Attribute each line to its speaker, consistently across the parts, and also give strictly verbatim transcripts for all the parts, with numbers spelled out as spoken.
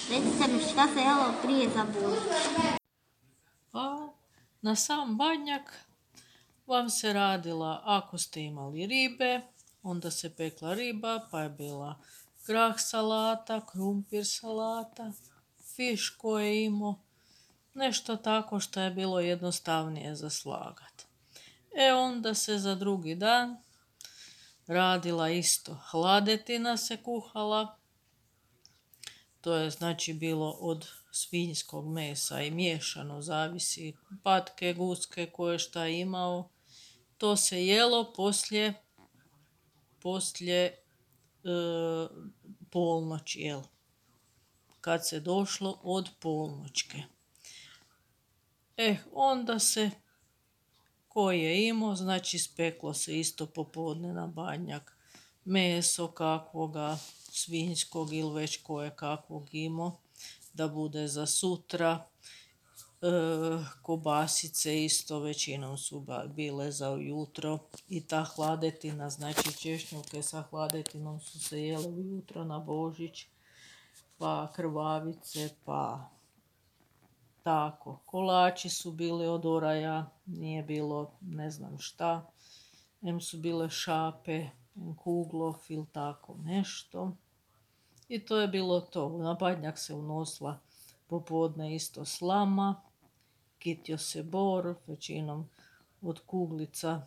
Speaker 1: Recite mi šta se jelo prije za Božić?
Speaker 2: A na sam Badnjak vam se radila, ako ste imali ribe, onda se pekla riba, pa je bila grah salata, krumpir salata, fiš koje je imao, nešto tako što je bilo jednostavnije za slagat. E onda se za drugi dan radila isto. Hladetina se kuhala, to je znači bilo od svinjskog mesa i miješano, zavisi patke, guske, koje šta imao. To se jelo poslije, poslije e, polnoći, jel? Kad se došlo od polnoćke. E, onda se, ko je imao, znači speklo se isto popodne na Badnjak. Meso kakvoga, svinjskog ili već koje kakvog imao, da bude za sutra. E, kobasice isto većinom su bile za ujutro i ta hladetina, znači češnjavke sa hladetinom su se jele ujutro na Božić, pa krvavice, pa tako. Kolači su bili od oraja, nije bilo ne znam šta, em su bile šape, em kuglov ili tako nešto. I to je bilo to. Na Badnjak se unosila popodne isto slama, kitio se bor, većinom od kuglica.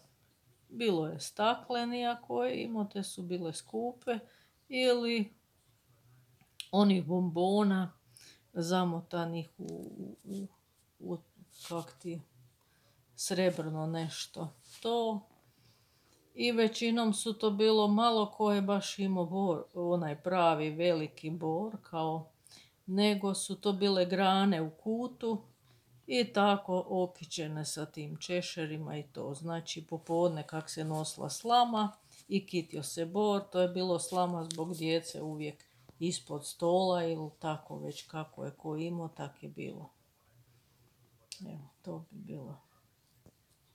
Speaker 2: Bilo je staklenija koje imao, te su bile skupe, ili onih bombona zamotanih u, u, u kak ti, srebrno nešto. To. I većinom su to bilo malo ko je baš imao bor, onaj pravi veliki bor, kao, nego su to bile grane u kutu i tako okićene sa tim češerima i to. Znači popodne kak se nosila slama i kitio se bor, to je bilo slama zbog djece uvijek ispod stola ili tako već kako je ko imao, tak je bilo. Evo, to bi bilo.